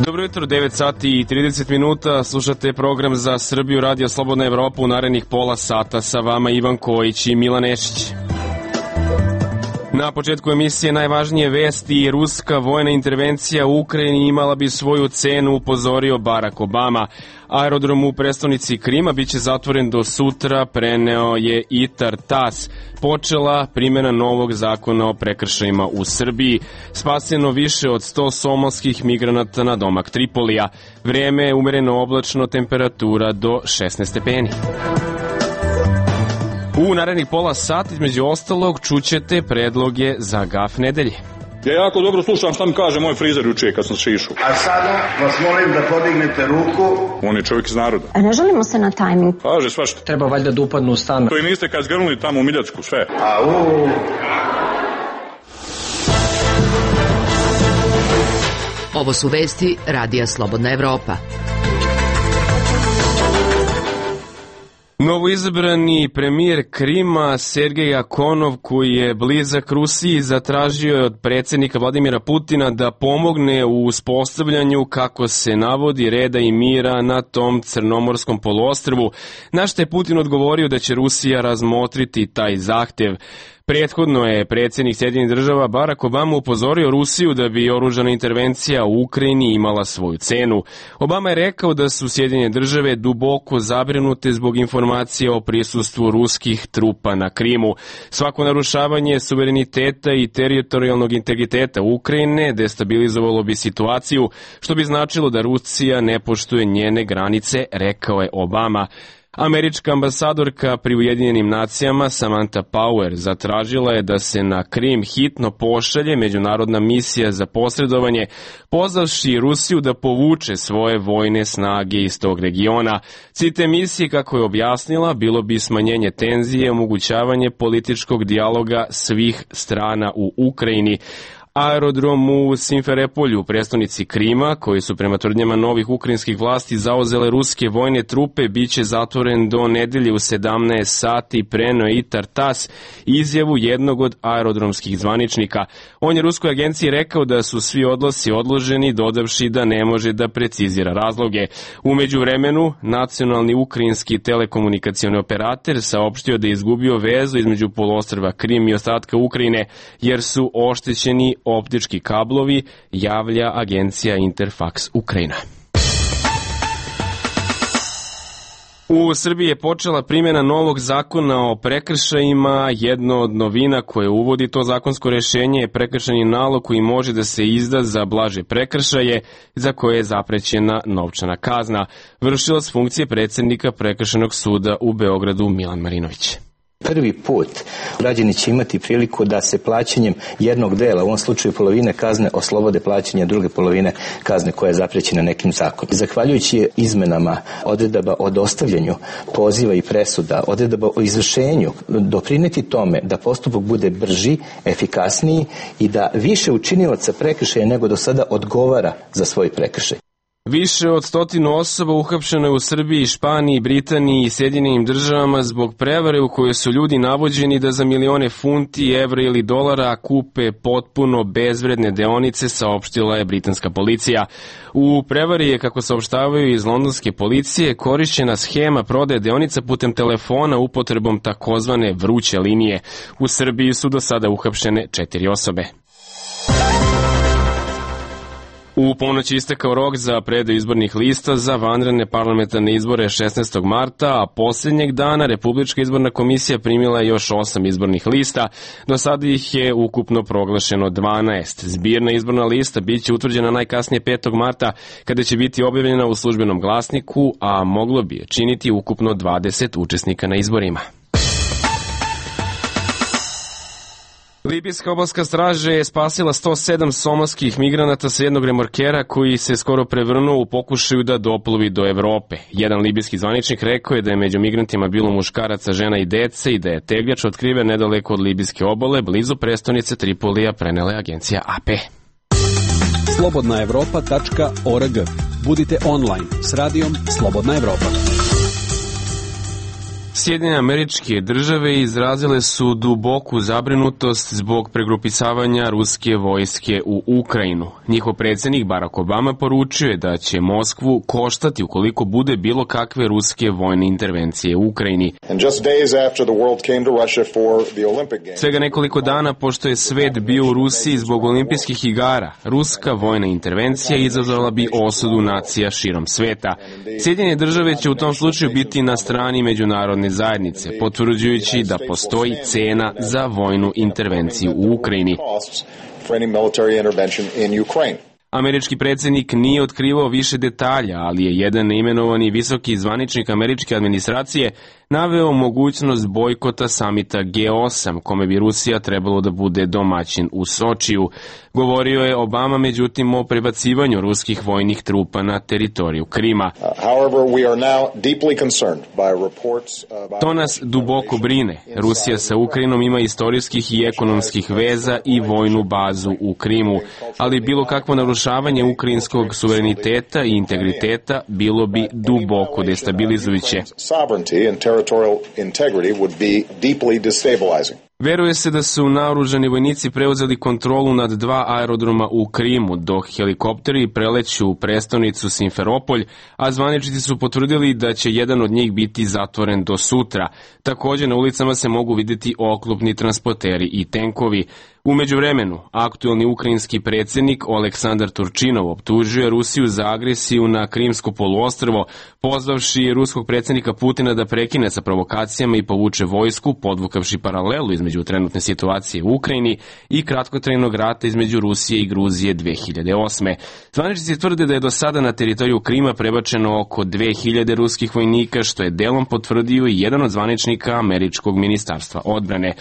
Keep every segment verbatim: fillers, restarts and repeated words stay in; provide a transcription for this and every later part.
Dobro jutro, devet sati i trideset minuta, slušate program za Srbiju, Radio Slobodna Evropa. U narednih pola sata sa vama Ivan Kojić i Milan Nešić. Na početku emisije najvažnije vesti: ruska vojna intervencija u Ukrajini imala bi svoju cenu, upozorio Barack Obama. Aerodrom u prestonici Krima biće zatvoren do sutra, preneo je i Tartas. Počela primjena novog zakona o prekršajima u Srbiji. Spaseno više od sto somalskih migranata na domak Tripolija. Vreme je umereno oblačno, temperatura do šesnaest stepeni. U narednih pola sata, između ostalog, čućete predloge za gaf nedelje. Ja jako dobro slušam šta mi kaže moj frizer juče kad sam šišao. A sada vas molim da podignete ruku. On je čovjek iz naroda. A ne želimo se na tajming. Kaže svašta. Treba valjda da upadnu u stan. To i niste kad zgrnuli tamo u Miljacku, sve. Au. Ovo su vesti Radija Slobodna Evropa. Novoizabrani premijer Krima Sergej Akonov, koji je blizak Rusiji, zatražio je od predsjednika Vladimira Putina da pomogne u uspostavljanju, kako se navodi, reda i mira na tom crnomorskom poluostrvu, na što je Putin odgovorio da će Rusija razmotriti taj zahtjev. Prethodno je predsjednik Sjedinjenih država Barack Obama upozorio Rusiju da bi oružana intervencija u Ukrajini imala svoju cenu. Obama je rekao da su Sjedinjene države duboko zabrinute zbog informacije o prisustvu ruskih trupa na Krimu. Svako narušavanje suvereniteta i teritorijalnog integriteta Ukrajine destabilizovalo bi situaciju, što bi značilo da Rusija ne poštuje njene granice, rekao je Obama. Američka ambasadorka pri Ujedinjenim nacijama Samantha Power zatražila je da se na Krim hitno pošalje međunarodna misija za posredovanje, pozvavši Rusiju da povuče svoje vojne snage iz tog regiona. Cilj te misije, kako je objasnila, bilo bi smanjenje tenzije, omogućavanje političkog dijaloga svih strana u Ukrajini. Aerodrom u Simferopolju, u prestonici Krima, koji su prema tvrdnjama novih ukrajinskih vlasti zauzele ruske vojne trupe, biće zatvoren do nedelje u sedamnaest sati, preneo i Tartas, izjavu jednog od aerodromskih zvaničnika. On je ruskoj agenciji rekao da su svi odlasi odloženi, dodavši da ne može da precizira razloge. U međuvremenu, nacionalni ukrajinski telekomunikacioni operator saopštio da je izgubio vezu između poluostrva Krim i ostatka Ukrajine, jer su oštećeni optički kablovi, javlja agencija Interfax Ukrajina. U Srbiji je počela primjena novog zakona o prekršajima. Jedno od novina koje uvodi to zakonsko rješenje je prekršajni nalog koji može da se izda za blaže prekršaje za koje je zaprećena novčana kazna. Vršilac funkcije predsjednika Prekršajnog suda u Beogradu Milan Marinović. Prvi put građani će imati priliku da se plaćanjem jednog dela, u ovom slučaju polovine kazne, oslobode plaćanja druge polovine kazne koja je zaprećena nekim zakonom. Zahvaljujući izmenama odredaba o dostavljanju poziva i presuda, odredaba o izvršenju, doprineti tome da postupak bude brži, efikasniji i da više učinilaca prekršaja nego do sada odgovara za svoj prekršaj. Više od stotinu osoba uhapšeno je u Srbiji, Španiji, Britaniji i Sjedinjenim državama zbog prevare u kojoj su ljudi navođeni da za milione funti, evra ili dolara kupe potpuno bezvredne deonice, saopštila je britanska policija. U prevari je, kako saopštavaju iz londonske policije, korišćena schema prodaje deonica putem telefona upotrebom takozvane vruće linije. U Srbiji su do sada uhapšene četiri osobe. U ponoć je istekao rok za predaju izbornih lista za vanredne parlamentarne izbore šesnaestog marta, a posljednjeg dana Republička izborna komisija primila je još osam izbornih lista. Do sada ih je ukupno proglašeno dvanaest. Zbirna izborna lista biće utvrđena najkasnije petog marta, kada će biti objavljena u službenom glasniku, a moglo bi je činiti ukupno dvadeset učesnika na izborima. Libijska obalska straža je spasila sto sedam somalskih migranata sa jednog remorkera koji se skoro prevrnuo u pokušaju da doplovi do Evrope. Jedan libijski zvaničnik rekao je da je među migrantima bilo muškaraca, žena i dece i da je tegljač otkriven nedaleko od libijske obale, blizu prestonice Tripolija, prenela je agencija A P. slobodna evropa tačka org. Budite online s radijom Slobodna Evropa. Sjedinjene Američke Države izrazile su duboku zabrinutost zbog pregrupisavanja ruske vojske u Ukrajinu. Njihov predsjednik Barack Obama poručio je da će Moskvu koštati ukoliko bude bilo kakve ruske vojne intervencije u Ukrajini. Svega nekoliko dana pošto je svet bio u Rusiji zbog olimpijskih igara, ruska vojna intervencija izazvala bi osudu nacija širom sveta. Sjedinjene Države će u tom slučaju biti na strani međunarodne zajednice, potvrđujući da postoji cena za vojnu intervenciju u Ukrajini. Američki predsjednik nije otkrivao više detalja, ali je jedan neimenovani visoki zvaničnik američke administracije naveo mogućnost bojkota samita G osam, kome bi Rusija trebalo da bude domaćin u Sočiju. Govorio je Obama međutim o prebacivanju ruskih vojnih trupa na teritoriju Krima. To nas duboko brine. Rusija sa Ukrajinom ima istorijskih i ekonomskih veza i vojnu bazu u Krimu, ali bilo kakvo narušavanje ukrajinskog suvereniteta i integriteta bilo bi duboko destabilizujuće. Territorial integrity would be deeply destabilizing. Veruje se da su naoružani vojnici preuzeli kontrolu nad dva aerodroma u Krimu, dok helikopteri preleću u prestonicu Simferopolj, a zvaničnici su potvrdili da će jedan od njih biti zatvoren do sutra. Također na ulicama se mogu vidjeti oklopni transporteri i tenkovi. U međuvremenu, aktuelni ukrajinski predsjednik Oleksandar Turčinov optužuje Rusiju za agresiju na Krimsko poluostrvo, pozvavši ruskog predsjednika Putina da prekine sa provokacijama i povuče vojsku, podvukavši paralelu između trenutne situacije u Ukrajini i kratkotrajnog rata između Rusije i Gruzije dve hiljade osme. Zvaničnici tvrde da je do sada na teritoriju Krima prebačeno oko dve hiljade ruskih vojnika, što je delom potvrdio i jedan od zvaničnika američkog ministarstva odbrane.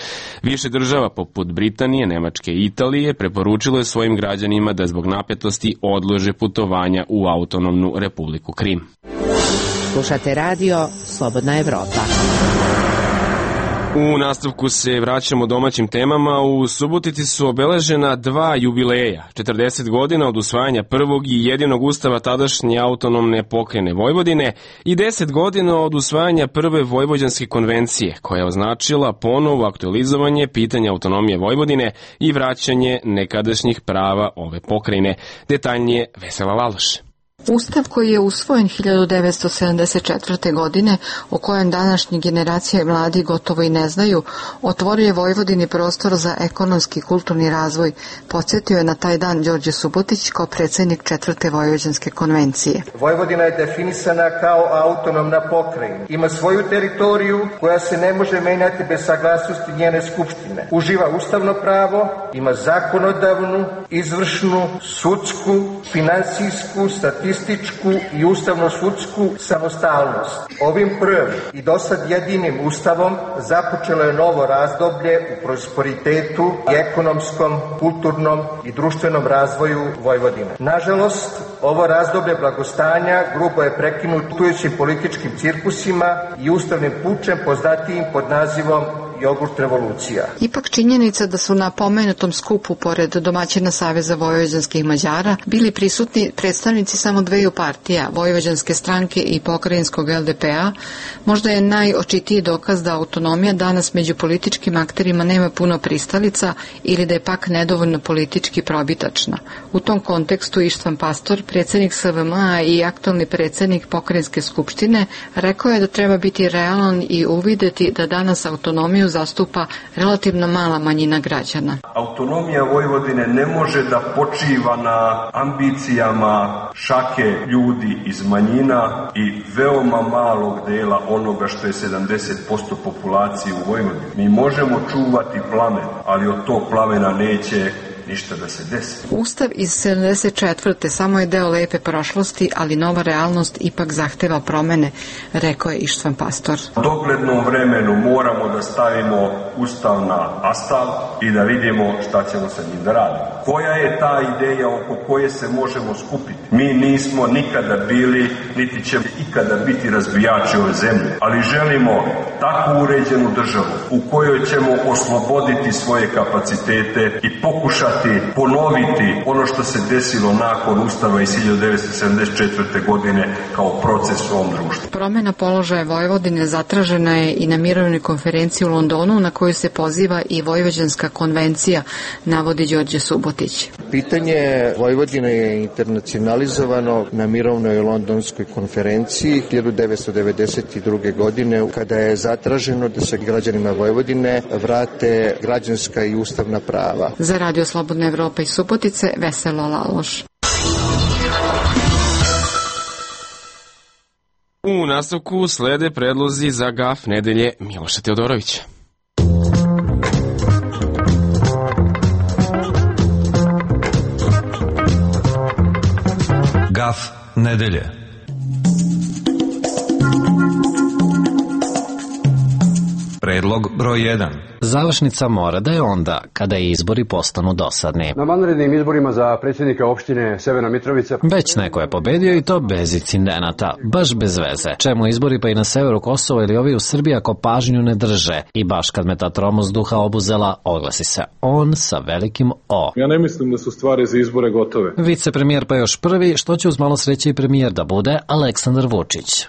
Više država poput Britanije, Nemačke i Italije preporučilo je svojim građanima da zbog napetosti odlože putovanja u autonomnu Republiku Krim. Slušate radio Slobodna Evropa. U nastavku se vraćamo domaćim temama. U Subotici su obeležena dva jubileja. četrdeset godina od usvajanja prvog i jedinog ustava tadašnje autonomne pokrajine Vojvodine i deset godina od usvajanja prve Vojvođanske konvencije, koja je označila ponovo aktualizovanje pitanja autonomije Vojvodine i vraćanje nekadašnjih prava ove pokrajine. Detaljnije Vesela Laloš. Ustav koji je usvojen hiljadu devetsto sedamdeset četvrte. godine, o kojem današnje generacije i mladi gotovo i ne znaju, otvorio je Vojvodini prostor za ekonomski i kulturni razvoj. Podsjetio je na taj dan Đorđe Subotić kao predsjednik četvrte Vojvođanske konvencije. Vojvodina je definisana kao autonomna pokrajina. Ima svoju teritoriju koja se ne može menjati bez saglasnosti njene skupštine. Uživa ustavno pravo, ima zakonodavnu, izvršnu, sudsku, finansijsku, statističku i ustavno-sudsku samostalnost. Ovim prvim i dosad jedinim ustavom započelo je novo razdoblje u prosperitetu i ekonomskom, kulturnom i društvenom razvoju Vojvodine. Nažalost, ovo razdoblje blagostanja grubo je prekinutujućim političkim cirkusima i ustavnim pučem poznatijim pod nazivom jogurt revolucija. Ipak činjenica da su na pomenutom skupu, pored domaćina Saveza vojvođanskih Mađara, bili prisutni predstavnici samo dveju partija, Vojvođanske stranke i pokrajinskog L D P A, možda je najočitiji dokaz da autonomija danas među političkim akterima nema puno pristalica ili da je pak nedovoljno politički probitačna. U tom kontekstu Ištvan Pastor, predsjednik S V M A i aktualni predsjednik pokrajinske skupštine, rekao je da treba biti realan i uvideti da danas autonomiju zastupa relativno mala manjina građana. Autonomija Vojvodine ne može da počiva na ambicijama šake ljudi iz manjina i veoma malog dela onoga što je sedamdeset posto populacije u Vojvodini. Mi možemo čuvati plamen, ali od tog plamena neće ništa da se desi. Ustav iz sedamdeset četvrte samo je deo lepe prošlosti, ali nova realnost ipak zahteva promene, rekao je Ištvan Pastor. U doglednom vremenu moramo da stavimo Ustav na astal i da vidimo šta ćemo sa njim da radimo. Koja je ta ideja oko koje se možemo skupiti? Mi nismo nikada bili, niti ćemo ikada biti razbijači ove zemlje, ali želimo takvu uređenu državu u kojoj ćemo osloboditi svoje kapacitete i pokušati pokušati ponoviti ono što se desilo nakon Ustava iz hiljadu devetsto sedamdeset četvrte. godine kao proces u ovom društvu. Promjena položaja Vojvodine zatražena je i na mirovnoj konferenciji u Londonu na koju se poziva i Vojvođanska konvencija, navodi Đorđe Subotić. Pitanje Vojvodine je internacionalizovano na mirovnoj londonskoj konferenciji hiljadu devetsto devedeset druge. godine kada je zatraženo da se građanima Vojvodine vrate građanska i ustavna prava. Za Radio Slobodna Evropa iz Subotice, Veselo Laloš. U nastavku slede predlozi za gaf nedelje Miloša Teodorovića. Gaf nedelje. Predlog broj jedan. Završnica mora da je onda kada izbori postanu dosadni. Na vanrednim izborima za predsjednika opštine Severna Mitrovica već neko je pobedio i to bez incidenata, baš bez veze. Čemu izbori pa i na severu Kosova ili ovi u Srbiji ako pažnju ne drže? I baš kad me ta tromost duha obuzela, oglasi se on sa velikim O. Ja ne mislim da su stvari za izbore gotove. Vicepremijer pa još prvi, što će uz malo sreće i premijer da bude, Aleksandar Vučić.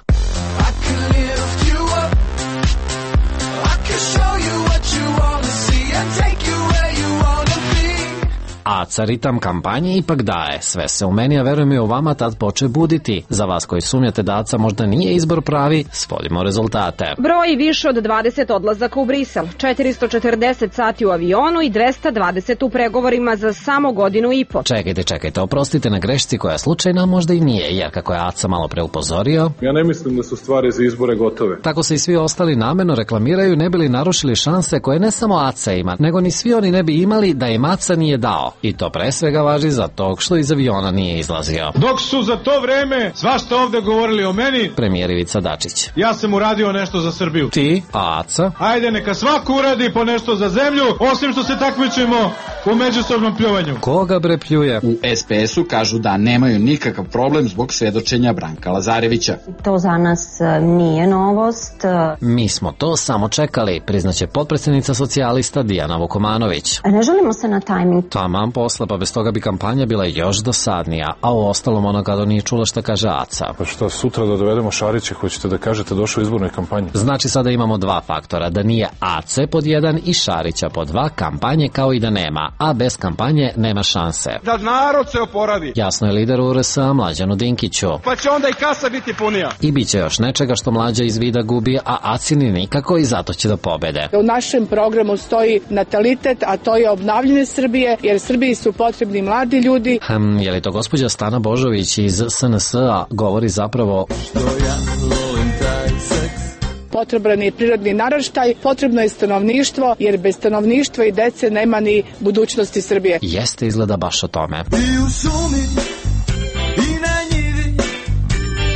Aca ritam kampanje ipak daje. Sve se u meni, a verujem i u vama, tad poče buditi. Za vas koji sumnjate da Aca možda nije izbor pravi, svodimo rezultate. Broj više od dvadeset odlazaka u Brisel, četiristo četrdeset sati u avionu i dvesta dvadeset u pregovorima za samo godinu i po. Čekajte, čekajte, oprostite na grešci koja je slučajna, možda i nije, jer kako je Aca malo pre upozorio... Ja ne mislim da su stvari za izbore gotove. Tako se i svi ostali namerno reklamiraju, ne bi li narušili šanse koje ne samo Aca ima, nego ni svi oni ne bi imali da im Aca nije dao. I to pre svega važi za tog što iz aviona nije izlazio. Dok su za to vreme svašta ovde govorili o meni, premijer Ivica Dačić. Ja sam uradio nešto za Srbiju. Ti, a Aca? Ajde, neka svako uradi po nešto za zemlju, osim što se takmičimo u međusobnom pljuvanju. Koga bre pljuje? U es pe esu kažu da nemaju nikakav problem zbog svedočenja Branka Lazarevića. To za nas nije novost. Mi smo to samo čekali, priznaće potpredsjednica socijalista Dijana Vukomanović. Ne želimo se na tajming. Taman posla, pa bez toga bi kampanja bila još dosadnija, a u ostalom ona kada nije čula šta kaže Aca. Pa što, sutra da dovedemo Šarića, hoćete da kažete došao u izbornoj kampanji? Znači sada imamo dva faktora, da nije Ace pod jedan i Šarića pod dva, kampanje kao i da nema, a bez kampanje nema šanse. Da narod se oporavi. Jasno je lideru U R S-a Mlađanu Dinkiću. Pa će onda i kasa biti punija. I bit će još nečega što Mlađa iz vida gubi, a Acini nikako i zato će da pobede. U našem programu stoji natalitet, a to je obnavljanje Srbije, jer Srbiji su potrebni mladi ljudi. Hm, je li to gospođa Stana Božović iz es en es a govori zapravo... Što ja volim taj seks. Potreban je prirodni naraštaj, potrebno je stanovništvo, jer bez stanovništva i dece nema ni budućnosti Srbije. Jeste izgleda baš o tome. I u šumi, i na njivi,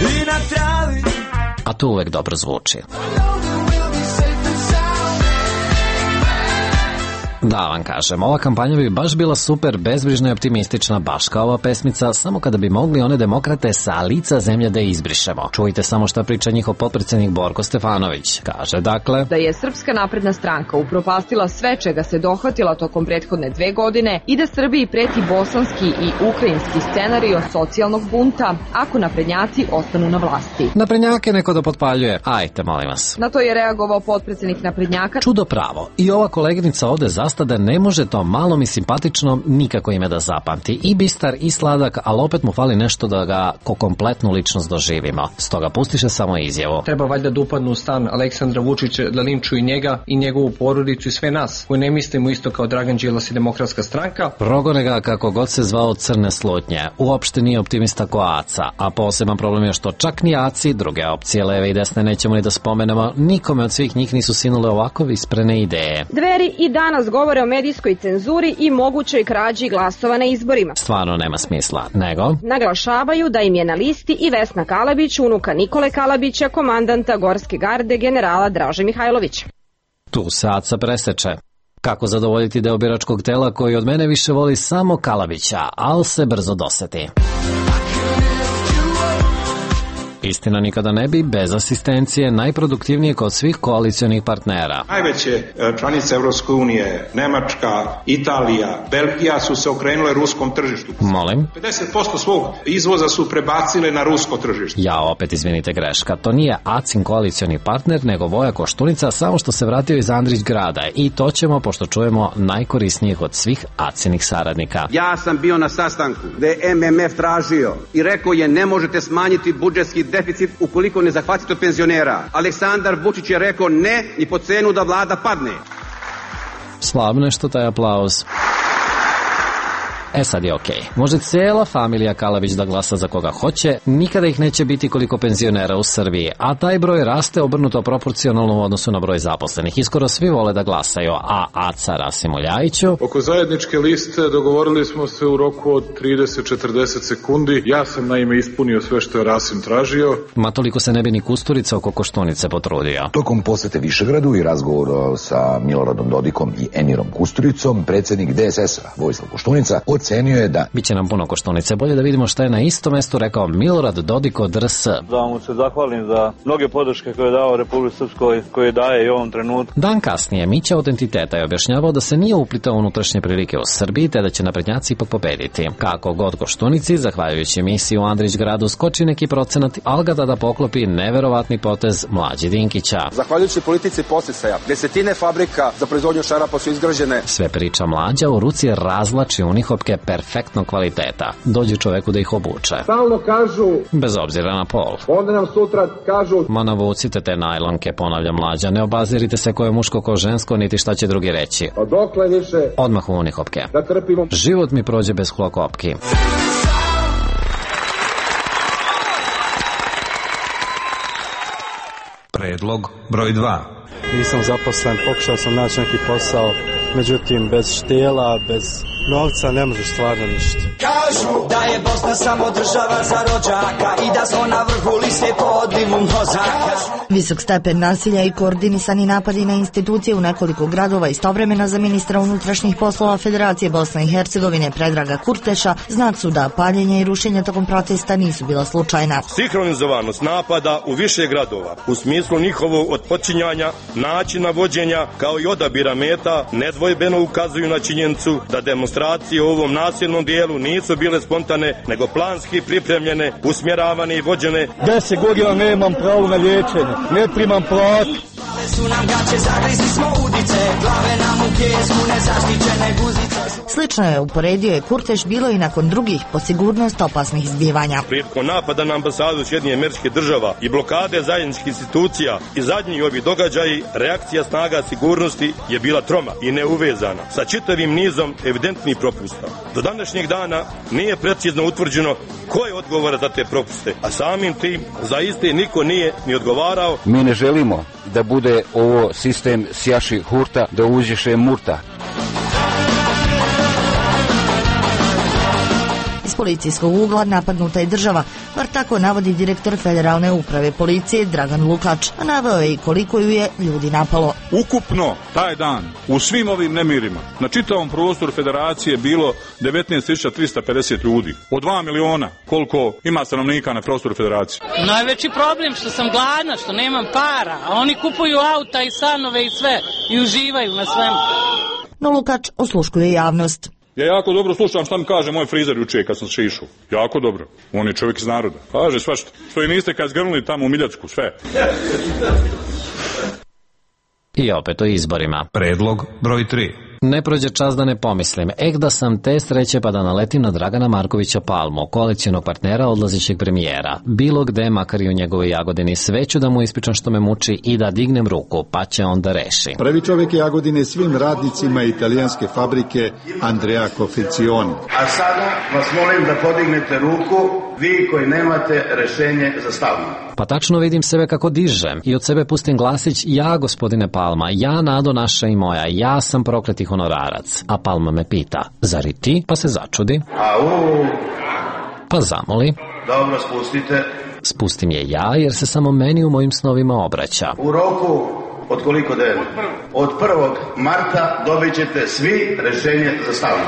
i na travi. A to uvek dobro zvuči. Da vam kažem, ova kampanja bi baš bila super, bezbrižna i optimistična, baš kao ova pesmica, samo kada bi mogli one demokrate sa lica zemlje da izbrišemo. Čujte samo šta priča njihov potpredsjednik Borko Stefanović. Kaže dakle da je Srpska napredna stranka upropastila sve čega se dohvatila tokom prethodne dve godine i da Srbiji preti bosanski i ukrajinski scenario socijalnog bunta ako naprednjaci ostanu na vlasti. Naprednjake neko da potpaljuje, ajte molim vas. Na to je reagovao potpredsjednik naprednjaka. Čudo pravo, i ova koleginica ovde za da ne može to malom i simpatičnom nikako ime da zapamti. I bistar i sladak, ali opet mu fali nešto da ga ko kompletnu ličnost doživimo. Stoga pustiše samo izjavu. Treba valjda da upadnu u stan Aleksandra Vučića, da linčuju njega i njegovu porodicu i sve nas, koji ne mislimo isto kao Dragan Đilas i Demokratska stranka. Progone ga kako god se zvao crne slutnje. Uopšte nije optimista ko Aca, a poseban problem je što čak ni Aci, druge opcije leve i desne nećemo ni da spomenemo, nikome od svih njih nisu sinule ovako isprene ideje. Dveri i danas govore o medijskoj cenzuri i mogućoj krađi glasova na izborima. Stvarno nema smisla, nego naglašavaju da im je na listi i Vesna Kalabić, unuka Nikole Kalabića, komandanta Gorske garde generala Draže Mihajlović. Tu se Aca preseče. Kako zadovoljiti deo biračkog tela koji od mene više voli samo Kalabića, ali se brzo doseti. Istina nikada ne bi bez asistencije najproduktivnije kod svih koalicionih partnera. Najveće članice Evropske unije, Nemačka, Italija, Belgija su se okrenule ruskom tržištu. Molim? pedeset posto svog izvoza su prebacile na rusko tržište. Ja opet izvinite greška, to nije Acin koalicioni partner, nego Voja Koštunica, samo što se vratio iz Andrić grada i to ćemo pošto čujemo najkorisnijih od svih Acinih saradnika. Ja sam bio na sastanku gde je M M F tražio i rekao je ne možete smanjiti budžetski deficit ukoliko ne zahvatite penzionera. Aleksandar Vučić je rekao ne ni po cenu da vlada padne. Slavno je što taj aplauz. E sad je okej. Okay. Može cijela familija Kalavić da glasa za koga hoće, nikada ih neće biti koliko penzionera u Srbiji, a taj broj raste obrnuto proporcionalno u odnosu na broj zaposlenih. Iskoro svi vole da glasaju, a Aca Rasimu Ljajiću... Oko zajedničke liste dogovorili smo se u roku od trideset do četrdeset sekundi. Ja sam naime ispunio sve što je Rasim tražio. Ma toliko se ne bi ni Kusturica oko Koštunice potrudio. Tokom posete Višegradu i razgovor sa Miloradom Dodikom i Emirom Kusturicom, predsjednik D S S-a Vojislav Koštunica ocenio je da... Biće nam puno Koštunice. Bolje da vidimo šta je na istom mestu rekao Milorad Dodik od R S. Da mu se zahvalim za mnoge podrške koje je dao Republici Srpskoj, koje daje i u ovom trenutku. Dan kasnije Mića Autentiteta je objašnjavao da se nije uplitao unutrašnje prilike u Srbiji, te da će naprednjaci ipak pobediti. Kako god Koštunici, zahvaljujući emisiji u Andrić gradu, skoči neki procenat, ali ga tada poklopi neverovatni potez Mlađi Dinkića. Zahvaljujući politici podsticaja, desetine fabrika za proizvodnju šarapa su izgrađene. Sve priča Mlađa, u ruci razlači unihopke perfektnog kvaliteta. Dođe čoveku da ih obuče. Stalno kažu... Bez obzira na pol. Onda nam sutra kažu... Ma navucite te najlonke, ponavlja Mlađa. Ne obazirite se ko je muško, ko žensko, niti šta će drugi reći. A dokle više... Odmah u unihopke. Da trpimo... Život mi prođe bez hlokopki. Predlog broj dva. Nisam zaposlen, pokušao sam naći neki posao, međutim bez štela, bez novca ne možeš stvarno ništa. Kažu da je Bosna samo država za rođaka i da smo na vrhu liste po odlivu mozaka. Visok stepen nasilja i koordinisani napadi na institucije u nekoliko gradova istovremeno za ministra unutrašnjih poslova Federacije Bosne i Hercegovine Predraga Kurteša znak su da paljenje i rušenje tokom protesta nisu bila slučajna. Sinhronizovanost napada u više gradova u smislu njihovog otpočinjanja, načina vođenja kao i odabira meta nedvojbeno ukazuju na činjenicu da demonstracije u ovom nasilnom dijelu nisu bile spontane, nego planski pripremljene, usmjeravane i vođene. Deset godina nemam pravo na liječenje, ne primam platu. Slično je uporedio je Kurteš bilo i nakon drugih po sigurnost opasnih izbivanja. Prilikom napada na ambasadu Sjedinjenih Američkih Država i blokade zajedničkih institucija i zadnji ovi događaji, reakcija snaga sigurnosti je bila troma i neuvezana sa čitavim nizom evidentnih propusta. Do današnjeg dana nije precizno utvrđeno ko je odgovoran za te propuste, a samim tim za iste niko nije ni odgovarao. Mi ne želimo da bude ovo sistem sjaši hurta, da uđeše murta. Iz policijskog ugla napadnuta je država, bar tako navodi direktor Federalne uprave policije Dragan Lukač, a naveo je i koliko ju je ljudi napalo. Ukupno taj dan u svim ovim nemirima na čitavom prostoru Federacije bilo devetnaest tisuća trista pedeset ljudi. Od dva miliona koliko ima stanovnika na prostoru Federacije. Najveći problem što sam gladna, što nemam para, a oni kupuju auta i stanove i sve i uživaju na svemu. No Lukač osluškuje javnost. Ja jako dobro slušam šta mi kaže moj frizer juče kad sam se išao. Jako dobro. On je čovjek iz naroda. Kaže svašta. Što i niste kad zgrnuli tamo u Miljacku, sve. I opet o izborima. Predlog broj tri. Ne prođe čas da ne pomislim, ek da sam te sreće pa da naletim na Dragana Markovića Palmu, koalicionog partnera odlazećeg premijera. Bilo gde, makar i u njegovoj Jagodini, sve ću da mu ispričam što me muči i da dignem ruku, pa će on da reši. Pravi čovjek Jagodine svim radnicima italijanske fabrike Andrea Confezioni. A sada vas molim da podignete ruku, vi koji nemate rešenje za stavno. Pa tačno vidim sebe kako dižem i od sebe pustim glasić: ja, gospodine Palma, ja, nado naša i moja, ja sam prokleti honorarac. A Palma me pita: zar i ti? Pa se začudi. Au. Pa zamoli. Dobro, spustite. Spustim je ja, jer se samo meni u mojim snovima obraća. U roku od koliko dana? Od prvog marta dobit ćete svi rešenje za stavno.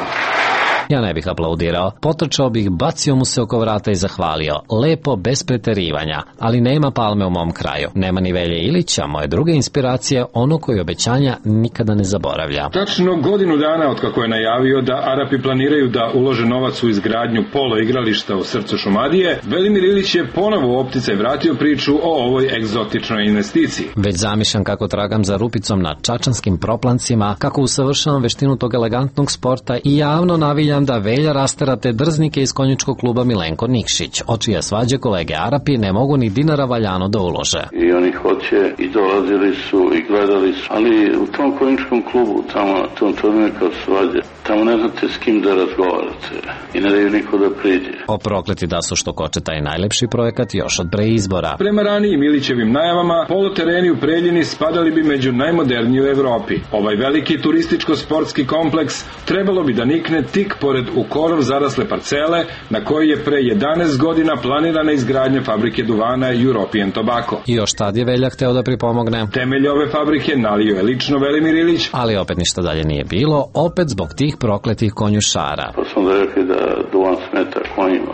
Ja ne bih aplaudirao, potrčao bih, bacio mu se oko vrata i zahvalio. Lepo, bez preterivanja, ali nema Palme u mom kraju. Nema ni Velje Ilića, moje druge inspiracije, ono koji obećanja nikada ne zaboravlja. Tačno godinu dana od kako je najavio da Arapi planiraju da ulože novac u izgradnju polo igrališta u srcu Šumadije, Velimir Ilić je ponovo u opticaj vratio priču o ovoj egzotičnoj investiciji. Već zamišljam kako tragam za Rupicom na čačanskim proplancima, kako usavršavam veštinu tog elegantnog sporta i javno naviljam da Velja rastera te drznike iz konjičkog kluba Milenko Nikšić, o čije svađe kolege Arapi ne mogu ni dinara valjano da ulože. I oni hoće i dolazili su i gledali su, ali u tom konjičkom klubu, tamo na tom turnire kao svađe, tamo ne znate s kim da razgovarate i ne daju niko da priđe. O prokleti da su što koče taj najlepši projekat još od pre izbora. Prema ranijim Ilićevim najavama, polutereni u Preljini spadali bi među najmoderniji u Evropi. Ovaj veliki turističko-sportski kompleks trebalo bi da nikne tik pored u korov zarasle parcele na kojoj je pre jedanaest godina planirana izgradnja fabrike duvana European Tobacco. I još tad je Velja hteo da pripomogne. Temelj ove fabrike nalio je lično Velimir Ilić, ali opet ništa dalje nije bilo, opet zbog tih prokletih konjušara. Pa sam da rekli da duvan smeta konjima.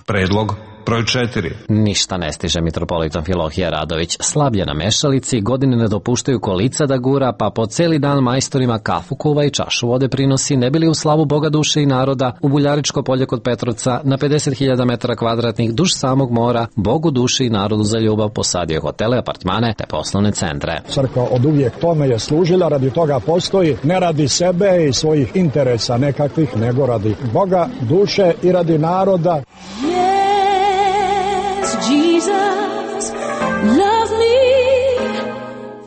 Predlog broj četiri. Ništa ne stiže mitropolitan Filohije Radović. Slablje na mešalici, godine ne dopuštaju kolica da gura, pa po celi dan majstorima kafu kuva i čašu vode prinosi, ne bili u slavu Boga duše i naroda, u Buljaričko polje kod Petrovca, na pedeset hiljada metara kvadratnih duž samog mora, Bogu duše i narodu za ljubav posadio hotele, apartmane te poslovne centre. Crkva od uvijek tome je služila, radi toga postoji, ne radi sebe i svojih interesa nekakvih, nego radi Boga duše i radi naroda. Jesus, love me.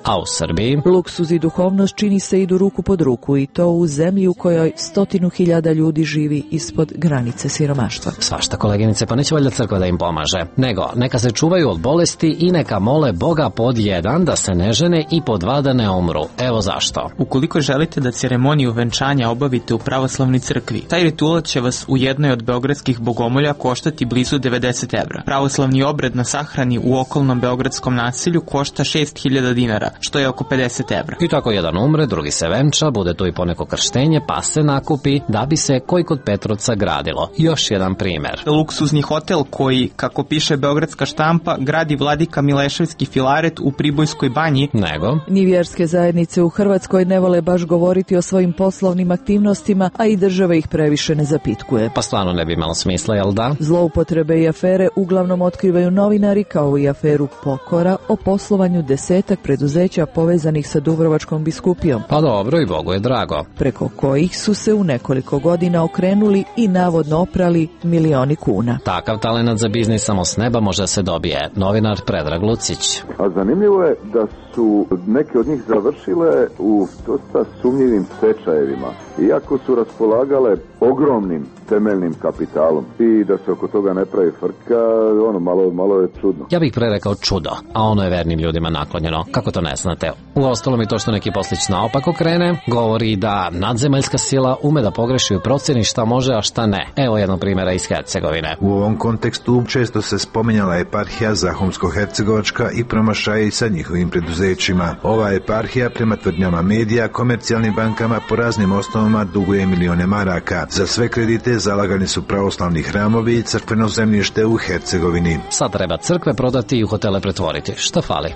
A u Srbiji? Luksuz i duhovnost čini se idu ruku pod ruku i to u zemlji u kojoj stotinu hiljada ljudi živi ispod granice siromaštva. Svašta, koleginice, pa neće valjda crkva da im pomaže. Nego, neka se čuvaju od bolesti i neka mole Boga pod jedan da se ne žene i pod dva da ne umru. Evo zašto. Ukoliko želite da ceremoniju venčanja obavite u pravoslavnoj crkvi, taj ritual će vas u jednoj od beogradskih bogomolja koštati blizu devedeset evra. Pravoslavni obred na sahrani u okolnom beogradskom naselju košta šest hiljada dinara, što je oko pedeset evra. I tako jedan umre, drugi se venča, bude tu i poneko krštenje, pa se nakupi da bi se koji kod Petrovca gradilo. Još jedan primer. Luksuzni hotel koji, kako piše beogradska štampa, gradi vladika Mileševski Filaret u Pribojskoj banji. Nego? Ni vjerske zajednice u Hrvatskoj ne vole baš govoriti o svojim poslovnim aktivnostima, a i država ih previše ne zapitkuje. Pa stvarno ne bi imalo smisla, jel da? Zloupotrebe i afere uglavnom otkrivaju novinari, kao i aferu Pokora o poslovanju desetak preduzeća povezanih sa Dubrovačkom biskupijom. Pa dobro, i Bogu je drago. Preko kojih su se u nekoliko godina okrenuli i navodno oprali milioni kuna. Takav talenat za biznis samo s neba može se dobije. Novinar Predrag Lucić. A zanimljivo je da su neke od njih završile u dosta sumnjivim stečajevima, iako su raspolagale ogromnim temeljnim kapitalom i da se oko toga ne pravi frka, ono malo, malo je čudno. Ja bih prerekao čudo, a ono je vernim ljudima naklonjeno. Kako to ne znate? Uostalom i to što neki poslić naopako krene, govori da nadzemaljska sila ume da pogreši u procjeni šta može, a šta ne. Evo jednog primjera iz Hercegovine. U ovom kontekstu često se spominjala eparhija Zahumsko-hercegovačka i promašaji sa njihovim preduzećima. Ova eparhija prema tvrdnjama medija komercijalnim bankama po raznim osnovama duguje milione maraka. Za sve kredite zalagani su pravoslavni hramovi i crkveno zemljište u Hercegovini. Sad treba crkve prodati i u hotele pretvoriti. Šta fali?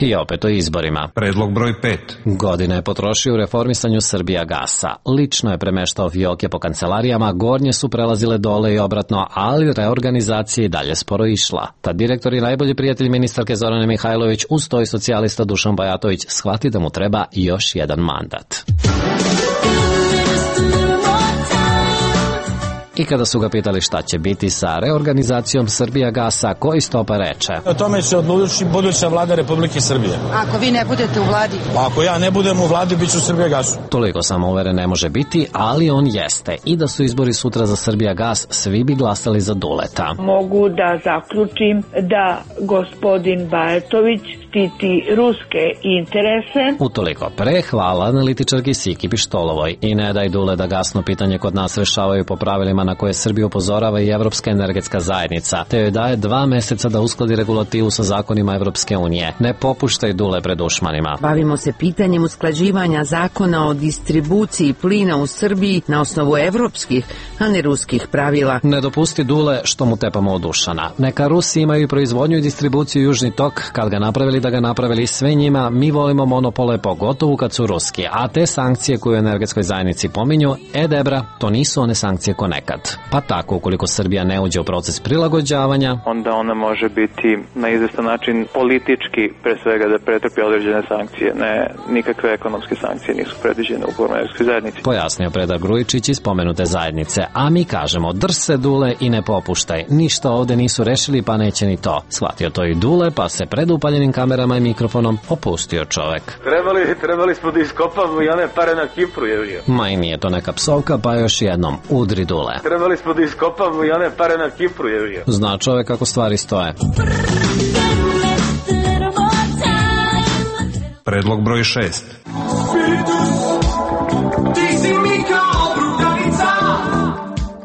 I opet o izborima. Predlog broj pet. Godine je potrošio u reformisanju Srbija gasa. Lično je premeštao fioke po kancelarijama, gornje su prelazile dole i obratno, ali reorganizacija i dalje sporo išla. Tad direktor i najbolji prijatelj ministarke Zorane Mihajlović uz to i socijalista Dušan Bajatović shvati da mu treba još jedan mandat. I kada su ga pitali šta će biti sa reorganizacijom Srbija gasa, koji stopa reče? O tome će odlučiti buduća vlada Republike Srbije. Ako vi ne budete u vladi? Ako ja ne budem u vladi, bit ću Srbija gasu. Toliko samouveren ne može biti, ali on jeste. I da su izbori sutra za Srbija gas, svi bi glasali za Duleta. Mogu da zaključim da gospodin Bajatović štiti ruske interese. Utoliko pre, hvala analitičarki Siki Pištolovoj. I ne daj Dule da gasno pitanje kod nas rešavaju po pravilima na koje Srbiju upozorava i Evropska energetska zajednica, te joj daje dva meseca da uskladi regulativu sa zakonima Evropske unije. Ne popuštaj Dule pred dušmanima. Bavimo se pitanjem usklađivanja zakona o distribuciji plina u Srbiji na osnovu evropskih, a ne ruskih pravila. Ne dopusti Dule što mu tepamo od Dušana. Neka Rusi imaju i proizvodnju i distribuciju Južni tok, kad ga napravili da ga napravili sve njima, mi volimo monopole pogotovo kad su ruski, a te sankcije koje u energetskoj zajednici pominju, e debra, to nisu one sankcije ko nekad. Pa tako, ukoliko Srbija ne uđe u proces prilagođavanja, onda ona može biti na izvestan način politički, pre svega da pretrpi određene sankcije, ne nikakve ekonomske sankcije nisu predviđene u energetskoj zajednici. Pojasnio Predrag Grujičić iz pomenute zajednice, a mi kažemo drž se Dule i ne popuštaj, ništa ovde nisu rešili pa neće ni to. Shvatio to i Dule pa se pred upaljenim kamerama i mikrofonom opustio čovek. Trebali, trebali smo da iskopamo i one pare na Kipru, je. Ma i nije to neka psovka, pa još jednom, udri Dule. Trebali smo da iskopamo i one pare na Kipru, je. Zna čovek kako stvari stoje. Predlog broj šest.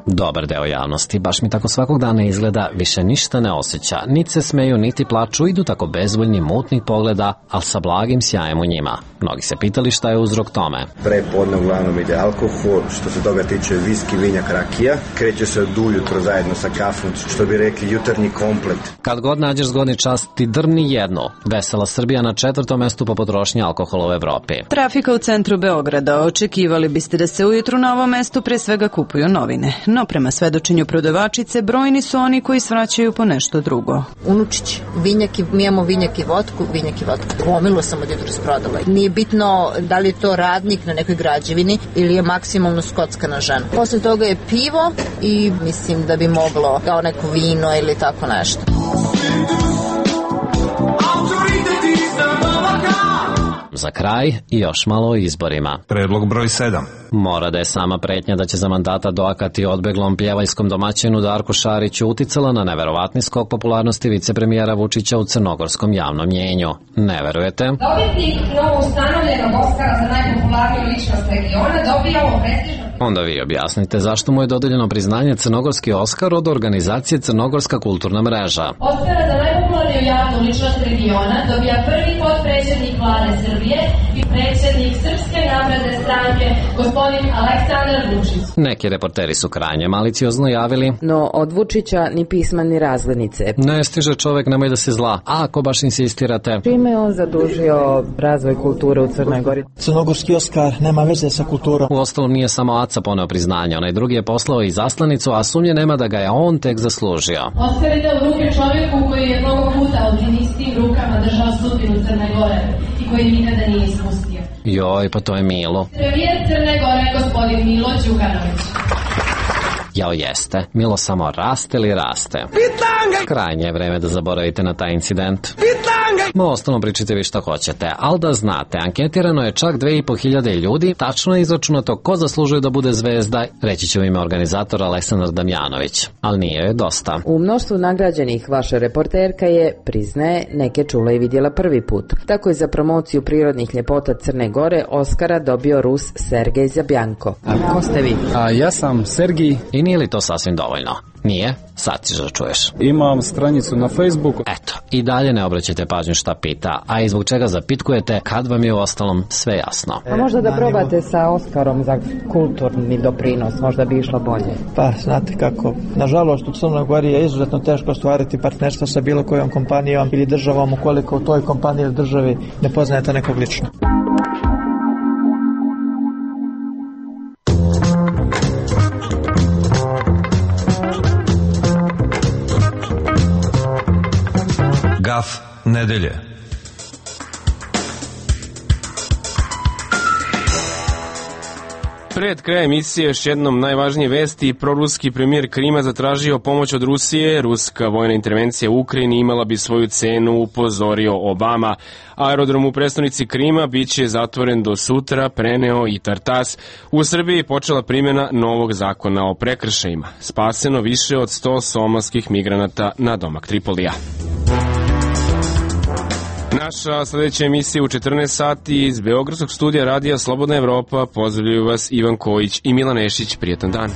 Dobar deo javnosti, baš mi tako svakog dana izgleda, više ništa ne osjeća, niti se smeju, niti plaču, idu tako bezvoljni, mutnih pogleda, ali sa blagim sjajem u njima. Mnogi se pitali šta je uzrok tome. Prepodne uglavnom ide alkohol, što se toga tiče viski, vinjak, rakija. Kreće se od ujutro zajedno sa kafom, što bi rekli jutarnji komplet. Kad god nađeš zgodni čas, ti drni jednu. Vesela Srbija na četvrtom mestu po potrošnji alkohola u Evropi. Trafika u centru Beograda. Očekivali biste da se ujutru na ovom mestu pre svega kupuju novine. No prema svedočenju prodavačice, brojni su oni koji svraćaju po nešto drugo. Unučić, vinjak i, mi imamo vinjak i vodku, vinjak i vodku. Gomilu sam od jutros prodala. Nije bitno da li je to radnik na nekoj građevini ili je maksimalno skocka na ženu. Posle toga je pivo i mislim da bi moglo kao neko vino ili tako nešto. Za kraj i još malo o izborima. Predlog broj sedam. Mora da je sama pretnja da će za mandata doakati odbeglom pljevajskom domaćinu Darku Šariću uticala na neverovatni skok popularnosti vicepremijera Vučića u crnogorskom javnom mjenju. Ne verujete? Dobitnik novoustanovljenog Oskara za najpopularniju ličnost regiona dobija ovo prestižno. Onda vi objasnite zašto mu je dodeljeno priznanje Crnogorski Oskar od organizacije Crnogorska kulturna mreža. Oskara za najpopularniju javnu ličnost regiona dobija prvi potpredsjednik vlade Srbije i predsjednik Srpske napredne stranke, gospodin Aleksandar Vučić. Neki reporteri su krajnje maliciozno javili: no od Vučića ni pisma ni razglednice. Ne stiže čovek, nemoj da se zla. A ako baš insistirate? Čime je on zadužio razvoj kulture u Crnoj Gori? Crnogorski Oskar nema veze sa kulturom. U ostalom nije samo Aca poneo priznanje, onaj drugi je poslao i zaslanicu, a sumnje nema da ga je on tek zaslužio. Oskar ide u ruke čovjeku koji je mnogo puta alpinistim rukama držao sudbinu Crne Gore i koji nikada nije ispustio. Joj, pa to je Milo. Premijer Crne Gore, gospodin Milo Đukanović. Jao jeste, Milo samo raste li raste. Pitanga! Krajnje je vreme da zaboravite na taj incident. Pitanga! Ma ostalom pričajte vi šta hoćete, ali da znate, anketirano je čak dve i po hiljade ljudi, tačno je izračunato ko zaslužuje da bude zvezda, reći će u ime organizatora Aleksandar Damjanović, ali nije joj dosta. U mnoštvu nagrađenih vaša reporterka je, priznaje, neke čula i vidjela prvi put. Tako je za promociju prirodnih ljepota Crne Gore Oskara dobio Rus Sergej Zabjanko. A ko ste vi? A ja sam Sergij. I nije li to sasvim dovoljno? Nije? Sad ćeš da čuješ. Imam stranicu na Facebooku. Eto, i dalje ne obraćajte pažnju šta pita, a i zbog čega zapitkujete kad vam je u ostalom sve jasno. A možda da probate sa Oskarom za kulturni doprinos, možda bi išlo bolje. Pa, znate kako, nažalost u Crnoj Gori je izuzetno teško ostvariti partnerstvo sa bilo kojom kompanijom ili državom ukoliko u toj kompaniji ili državi ne poznajete nekog lično. Gaf nedelje. Pred kraj emisije još jednom najvažnije vesti. Proruski premijer Krima zatražio pomoć od Rusije. Ruska vojna intervencija u Ukrajini imala bi svoju cenu, upozorio Obama. Aerodrom u prestonici Krima biće zatvoren do sutra, preneo i Tartas. U Srbiji počela primjena novog zakona o prekršajima. Spaseno više od sto somalskih migranata na domak Tripolija. Naša sljedeća emisija u četrnaest sati iz Beogradskog studija radija Slobodna Evropa. Pozdravljaju vas Ivan Kojić i Milan Ešić. Prijetan dan.